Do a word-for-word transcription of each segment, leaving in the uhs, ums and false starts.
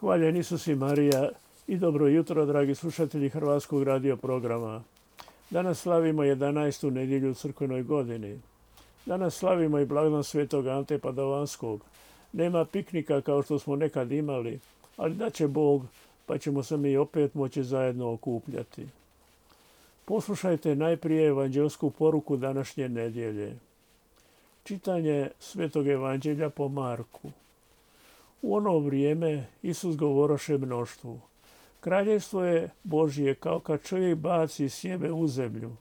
Hvaljen Isus i Marija i dobro jutro, dragi slušatelji Hrvatskog radio programa. Danas slavimo jedanaestu nedjelju u crkvenoj godini. Danas slavimo i blagdan svetog Ante Padovanskog. Nema piknika kao što smo nekad imali, ali da će Bog, pa ćemo se mi opet moći zajedno okupljati. Poslušajte najprije evanđelsku poruku današnje nedjelje. Čitanje svetog evanđelja po Marku. U ono vrijeme Isus govoroše mnoštvu. Kraljevstvo je Božje kao kad čovjek baci sjeme u zemlju.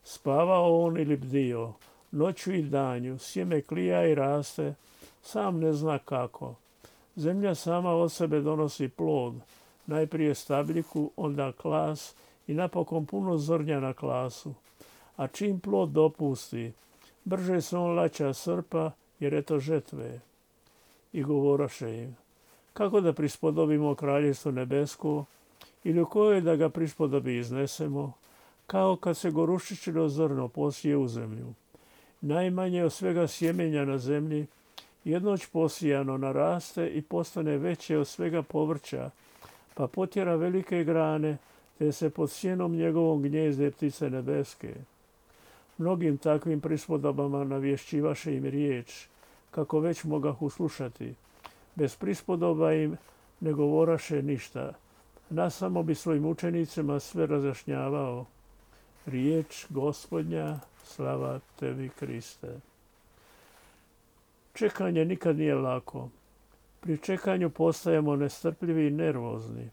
Spavao on ili bdio, noću i danju, sjeme klija i raste, sam ne zna kako. Zemlja sama od sebe donosi plod, najprije stabljiku, onda klas i napokon puno zrnja na klasu. A čim plod dopusti, brže se on laća srpa, jer je to žetve. I govoroše im, kako da prispodobimo kraljevstvo nebesko, ili u kojoj da ga prispodobi iznesemo, kao kad se gorušičino zrno posije u zemlju. Najmanje od svega sjemenja na zemlji, jednoć posijano naraste i postane veće od svega povrća, pa potjera velike grane, te se pod sjenom njegovom gnjezde ptice nebeske. Mnogim takvim prispodobama navješćivaše im riječ, kako već mogahu slušati. Bez prispodoba im ne govoraše ništa. Nas samo bi svojim učenicima sve razjašnjavao. Riječ Gospodnja, slava tebi Kriste. Čekanje nikad nije lako. Pri čekanju postajemo nestrpljivi i nervozni.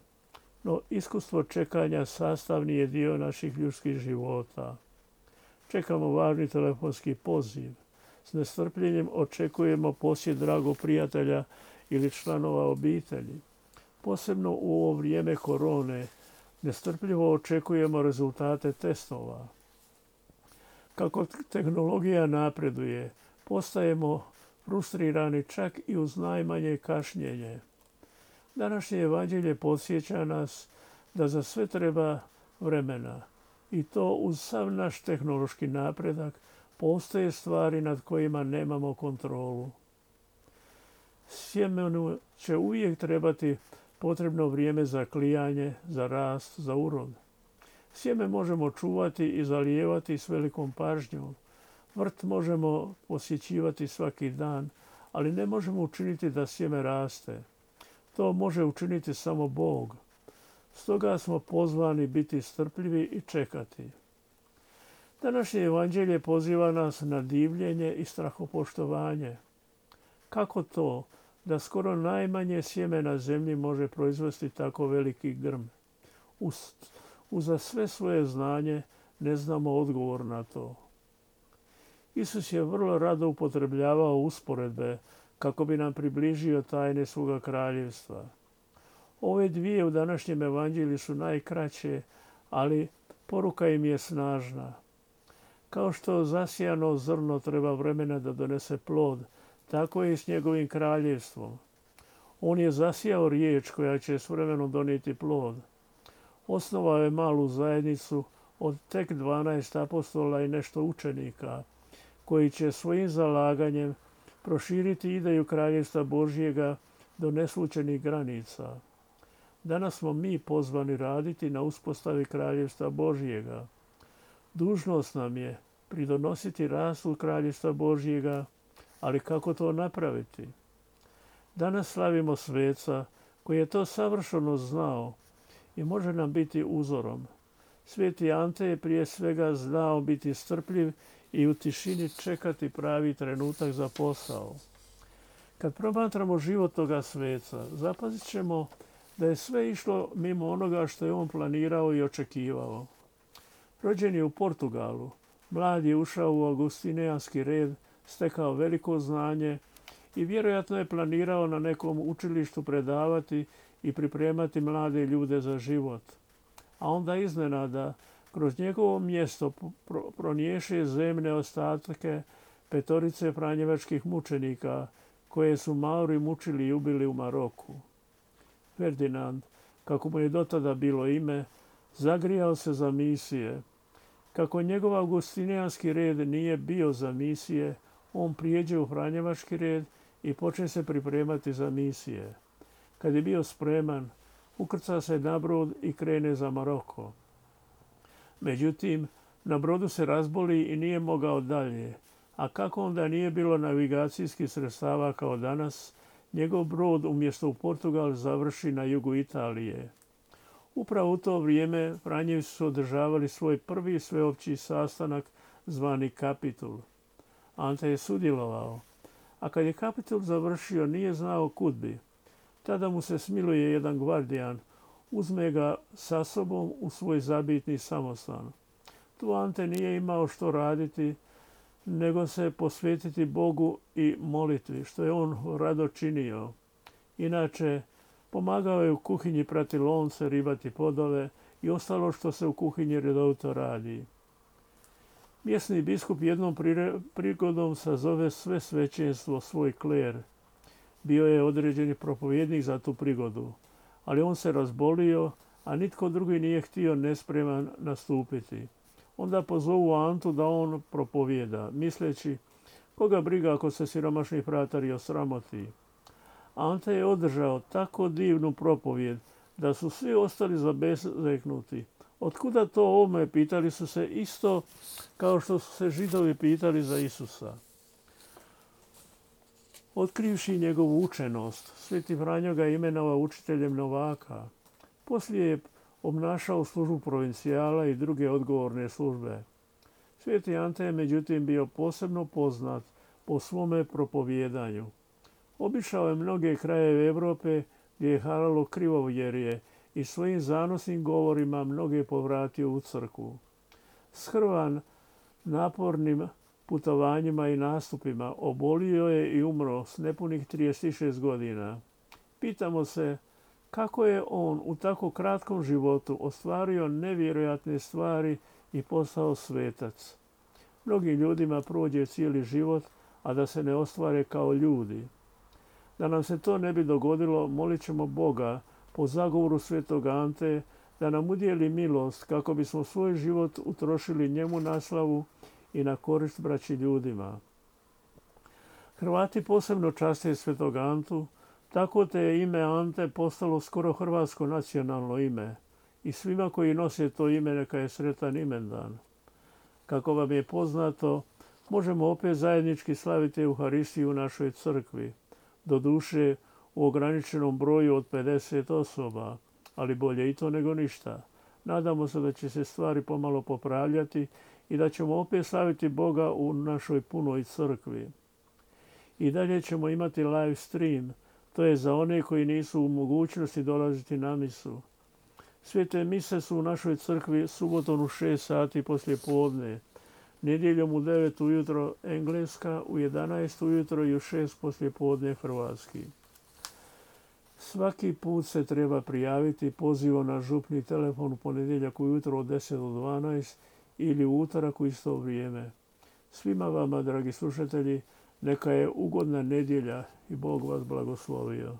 No iskustvo čekanja sastavni je dio naših ljudskih života. Čekamo važni telefonski poziv. S nestrpljenjem očekujemo posjet dragog prijatelja ili članova obitelji. Posebno u ovo vrijeme korone nestrpljivo očekujemo rezultate testova. Kako tehnologija napreduje, postajemo frustrirani čak i uz najmanje kašnjenje. Današnje evanđelje podsjeća nas da za sve treba vremena i to uz sav naš tehnološki napredak postoje stvari nad kojima nemamo kontrolu. Sjemenu će uvijek trebati potrebno vrijeme za klijanje, za rast, za urod. Sjeme možemo čuvati i zalijevati s velikom pažnjom. Vrt možemo posjećivati svaki dan, ali ne možemo učiniti da sjeme raste. To može učiniti samo Bog. Stoga smo pozvani biti strpljivi i čekati. Današnje evanđelje poziva nas na divljenje i strahopoštovanje. Kako to da skoro najmanje sjeme na zemlji može proizvesti tako veliki grm? Uz, uza sve svoje znanje ne znamo odgovor na to. Isus je vrlo rado upotrebljavao usporedbe kako bi nam približio tajne svoga kraljevstva. Ove dvije u današnjem evanđelju su najkraće, ali poruka im je snažna. Kao što zasijano zrno treba vremena da donese plod, tako je i s njegovim kraljevstvom. On je zasijao riječ koja će s vremenom donijeti plod. Osnovao je malu zajednicu od tek dvanaest apostola i nešto učenika, koji će svojim zalaganjem proširiti ideju kraljevstva Božjega do neslučajnih granica. Danas smo mi pozvani raditi na uspostavi kraljevstva Božjega. Dužnost nam je pridonositi rastu kraljevstva Božjega, ali kako to napraviti? Danas slavimo sveca koji je to savršeno znao i može nam biti uzorom. Sveti Ante je prije svega znao biti strpljiv i u tišini čekati pravi trenutak za posao. Kad promatramo život toga sveca, zapazit ćemo da je sve išlo mimo onoga što je on planirao i očekivao. Rođen je u Portugalu, mlad je ušao u augustinijanski red, stekao veliko znanje i vjerojatno je planirao na nekom učilištu predavati i pripremati mlade ljude za život. A onda iznenada kroz njegovo mjesto proniješe zemne ostatke petorice franjevačkih mučenika koje su Mauri mučili i ubili u Maroku. Ferdinand, kako mu je dotada bilo ime, zagrijao se za misije. Kako njegov augustinijanski red nije bio za misije, on prijeđe u franjevački red i počne se pripremati za misije. Kad je bio spreman, ukrca se na brod i krene za Maroko. Međutim, na brodu se razboli i nije mogao dalje, a kako onda nije bilo navigacijskih sredstava kao danas, njegov brod umjesto u Portugal završi na jugu Italije. Upravo u to vrijeme Franjevci su održavali svoj prvi sveopći sastanak zvani Kapitul. Ante je sudjelovao, a kad je Kapitul završio nije znao kud bi. Tada mu se smiluje jedan gvardijan, uzme ga sa sobom u svoj zabitni samostan. Tu Ante nije imao što raditi, nego se posvetiti Bogu i molitvi, što je on rado činio. Inače, pomagao je u kuhinji prati lonce, ribati podove i ostalo što se u kuhinji redovito radi. Mjesni biskup jednom prigodom sazove sve svećenstvo, svoj kler. Bio je određeni propovjednik za tu prigodu, ali on se razbolio, a nitko drugi nije htio nespreman nastupiti. Onda pozovu Antu da on propovijeda, misleći koga briga ako se siromašni fratari osramoti. Ante je održao tako divnu propovijed da su svi ostali zabezeknuti. Otkuda to ovome, pitali su se isto kao što su se Židovi pitali za Isusa. Otkrivši njegovu učenost, Sveti Franjo ga imenovao učiteljem novaka. Poslije je obnašao službu provincijala i druge odgovorne službe. Sveti Ante je međutim bio posebno poznat po svome propovijedanju. Obišao je mnoge krajeve Europe gdje je haralo krivovjerje i svojim zanosnim govorima mnoge povratio u crkvu. Shrvan napornim putovanjima i nastupima obolio je i umro s nepunih trideset šest godina. Pitamo se kako je on u tako kratkom životu ostvario nevjerojatne stvari i postao svetac. Mnogim ljudima prođe cijeli život, a da se ne ostvare kao ljudi. Da nam se to ne bi dogodilo, molit ćemo Boga po zagovoru svetog Ante da nam udijeli milost kako bismo svoj život utrošili njemu na slavu i na korist braći ljudima. Hrvati posebno časte svetog Antu, tako te je ime Ante postalo skoro hrvatsko nacionalno ime i svima koji nose to ime neka je sretan imendan. Kako vam je poznato, možemo opet zajednički slaviti Euharistiju u našoj crkvi, doduše u ograničenom broju od pedeset osoba, ali bolje i to nego ništa. Nadamo se da će se stvari pomalo popravljati i da ćemo opet slaviti Boga u našoj punoj crkvi. I dalje ćemo imati live stream, to je za one koji nisu u mogućnosti dolaziti na misu. Svete mise su u našoj crkvi subotom u šest sati poslije podne, nedjeljom u devet ujutro engleska, u jedanaest ujutro i u šest poslije podne hrvatski. Svaki put se treba prijaviti pozivom na župni telefon u ponedjeljak ujutro od deset do dvanaest ili u utorak u isto vrijeme. Svima vama, dragi slušatelji, neka je ugodna nedjelja i Bog vas blagoslovio.